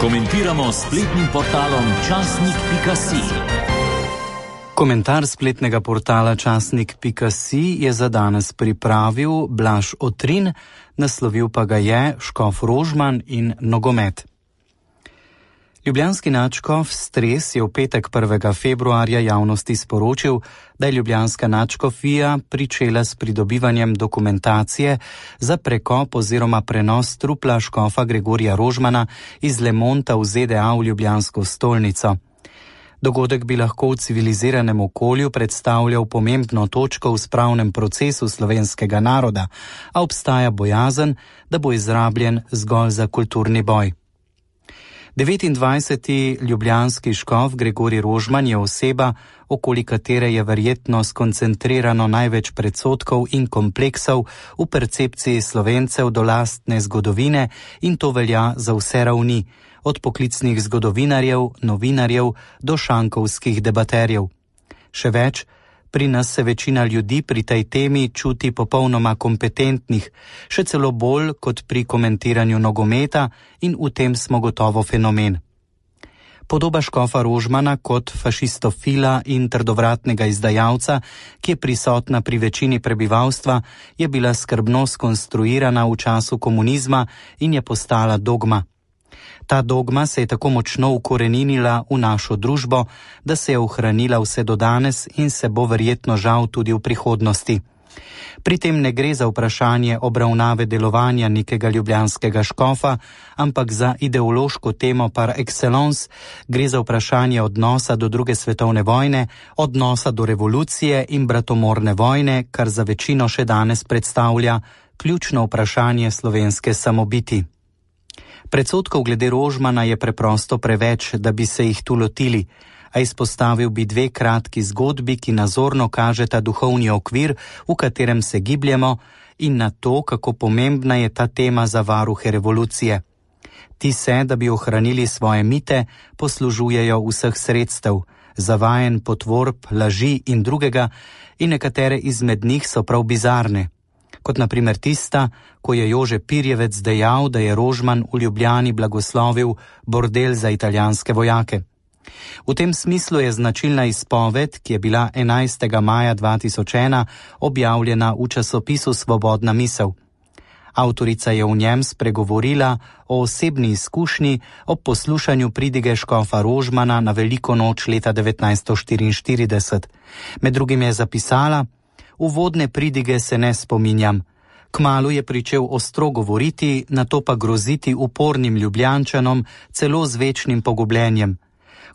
Komentiramo spletnim portalom časnik.si. Komentar spletnega portala časnik.si je za danes pripravil Blaž Otrin, naslovil pa ga je Škof Rožman in nogomet. Ljubljanski nadškof Stres je v petek 1. februarja javnosti sporočil, da je ljubljanska nadškofija pričela s pridobivanjem dokumentacije za prekop oziroma prenos trupla škofa Gregorija Rožmana iz Le Monta v ZDA v ljubljansko stolnico. Dogodek bi lahko v civiliziranem okolju predstavljal pomembno točko v spravnem procesu slovenskega naroda, a obstaja bojazen, da bo izrabljen zgolj za kulturni boj. 29. ljubljanski škof Gregorij Rožman je oseba, okoli katere je verjetno skoncentrirano največ predsodkov in kompleksov v percepciji Slovencev do lastne zgodovine, in to velja za vse ravni, od poklicnih zgodovinarjev, novinarjev do šankovskih debaterjev. Še več, pri nas se večina ljudi pri tej temi čuti popolnoma kompetentnih, še celo bolj kot pri komentiranju nogometa, in v tem smo gotovo fenomen. Podoba škofa Rožmana kot fašistofila in trdovratnega izdajalca, ki je prisotna pri večini prebivalstva, je bila skrbno skonstruirana v času komunizma in je postala dogma. Ta dogma se je tako močno ukoreninila v našo družbo, da se je ohranila vse do danes in se bo verjetno žal tudi v prihodnosti. Pri tem ne gre za vprašanje obravnave delovanja nekega ljubljanskega škofa, ampak za ideološko temo par excellence, gre za vprašanje odnosa do druge svetovne vojne, odnosa do revolucije in bratomorne vojne, kar za večino še danes predstavlja ključno vprašanje slovenske samobiti. Predsodkov glede Rožmana je preprosto preveč, da bi se jih tu lotili, a izpostavil bi dve kratki zgodbi, ki nazorno kažeta duhovni okvir, v katerem se gibljemo, in na to, kako pomembna je ta tema za varuhe revolucije. Ti se, da bi ohranili svoje mite, poslužujejo vseh sredstev, zavajanj, potvorb, laži in drugega, in nekatere izmed njih so prav bizarne. Kot na primer tista, ko je Jože Pirjevec dejal, da je Rožman v Ljubljani blagoslovil bordel za italijanske vojake. V tem smislu je značilna izpoved, ki je bila 11. maja 2001 objavljena v časopisu Svobodna misel. Avtorica je v njem spregovorila o osebni izkušnji ob poslušanju pridige škofa Rožmana na veliko noč leta 1944. Med drugim je zapisala: "Uvodne pridige se ne spominjam. Kmalu je pričel ostro govoriti, nato pa groziti upornim Ljubljančanom, celo z večnim pogubljenjem.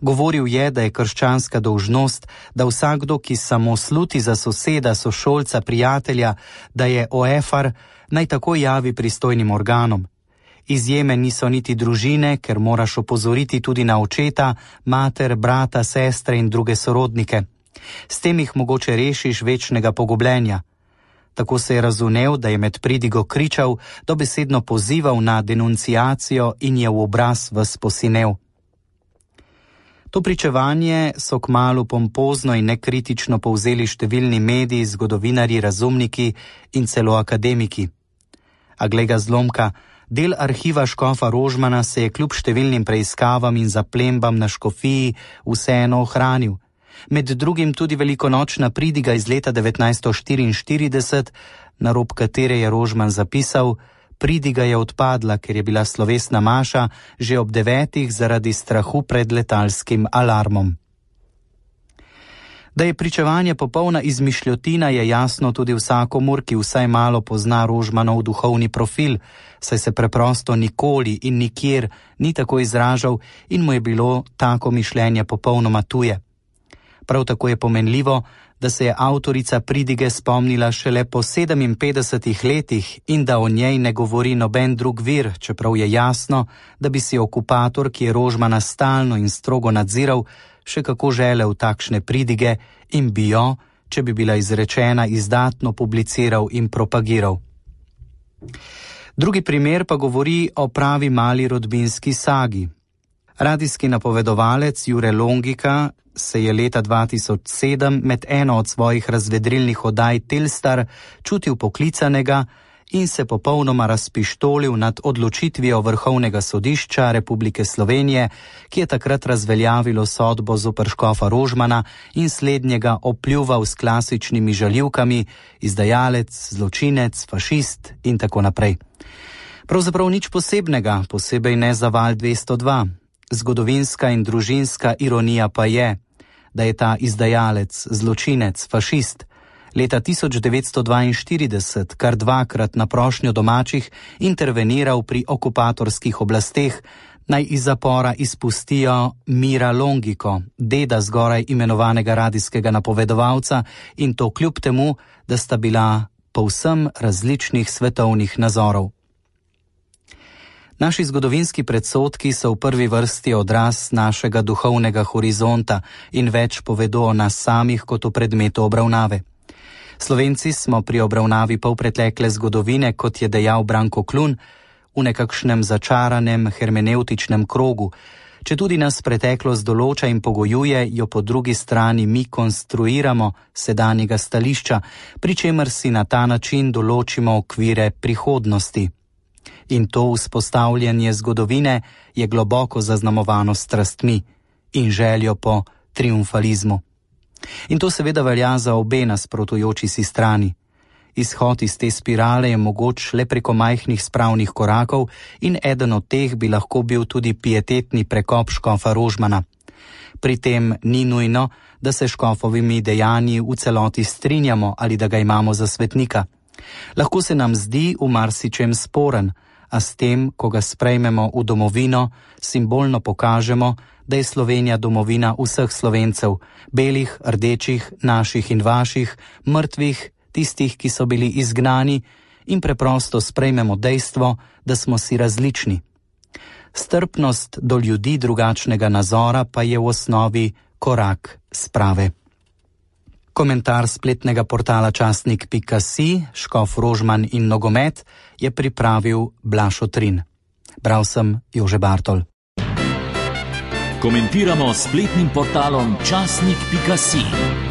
Govoril je, da je krščanska dolžnost, da vsakdo, ki samo sluti za soseda, sošolca, prijatelja, da je oefar, naj tako javi pristojnim organom. Izjeme niso niti družine, ker moraš opozoriti tudi na očeta, mater, brata, sestre in druge sorodnike. S tem jih mogoče rešiš večnega pogubljenja." Tako se je razumel, da je med pridigo kričal, dobesedno pozival na denunciacijo in je v obraz ves posinel. To pričevanje so kmalu pompozno in nekritično povzeli številni mediji, zgodovinarji, razumniki in celo akademiki. A glej ga zlomka, del arhiva škofa Rožmana se je kljub številnim preiskavam in zaplembam na škofiji vseeno ohranil. Med drugim tudi velikonočna pridiga iz leta 1944, na rob katere je Rožman zapisal: "Pridiga je odpadla, ker je bila slovesna maša že ob 9. zaradi strahu pred letalskim alarmom." Da je pričevanje popolna izmišljotina, je jasno tudi vsakomur, ki vsaj malo pozna Rožmanov duhovni profil, saj se preprosto nikoli in nikjer ni tako izražal in mu je bilo tako mišljenje popolnoma tuje. Prav tako je pomenljivo, da se je avtorica pridige spomnila šele po 57 letih in da o njej ne govori noben drug vir, čeprav je jasno, da bi si okupator, ki je Rožmana stalno in strogo nadziral, še kako želel takšne pridige in bi jo, če bi bila izrečena, izdatno publiciral in propagiral. Drugi primer pa govori o pravi mali rodbinski sagi. Radijski napovedovalec Jure Longika se je leta 2007 med eno od svojih razvedrilnih oddaj Telstar čutil poklicanega in se popolnoma razpištolil nad odločitvijo Vrhovnega sodišča Republike Slovenije, ki je takrat razveljavilo sodbo zoper škofa Rožmana in slednjega opljuval s klasičnimi žaljivkami: izdajalec, zločinec, fašist in tako naprej. Pravzaprav nič posebnega, posebej ne za Val 202. Zgodovinska in družinska ironija pa je, da je ta izdajalec, zločinec, fašist leta 1942 kar dvakrat na prošnjo domačih interveniral pri okupatorskih oblasteh, naj iz zapora izpustijo Mira Longiko, deda zgoraj imenovanega radijskega napovedovalca, in to kljub temu, da sta bila povsem različnih svetovnih nazorov. Naši zgodovinski predsodki so v prvi vrsti odraz našega duhovnega horizonta in več povedo o nas samih kot o predmetu obravnave. Slovenci smo pri obravnavi polpretekle zgodovine, kot je dejal Branko Klun, v nekakšnem začaranem hermenevtičnem krogu. Četudi nas preteklost določa in pogojuje, jo po drugi strani mi konstruiramo sedanjega stališča, pri čemer si na ta način določimo okvire prihodnosti. In to vzpostavljanje zgodovine je globoko zaznamovano strastmi in željo po triumfalizmu. In to seveda velja za obe nasprotujoči si strani. Izhod iz te spirale je mogoč le preko majhnih spravnih korakov in eden od teh bi lahko bil tudi pietetni prekop škofa Rožmana. Pri tem ni nujno, da se škofovimi dejanji v celoti strinjamo ali da ga imamo za svetnika. Lahko se nam zdi v marsičem sporen, a s tem, ko ga sprejmemo v domovino, simbolno pokažemo, da je Slovenija domovina vseh Slovencev, belih, rdečih, naših in vaših, mrtvih, tistih, ki so bili izgnani, in preprosto sprejmemo dejstvo, da smo si različni. Strpnost do ljudi drugačnega nazora pa je v osnovi korak sprave. Komentar spletnega portala časnik.si, škof Rožman in nogomet, je pripravil Blaž Otrin. Bral sem Jože Bartol. Komentiramo spletnim portalom časnik.si.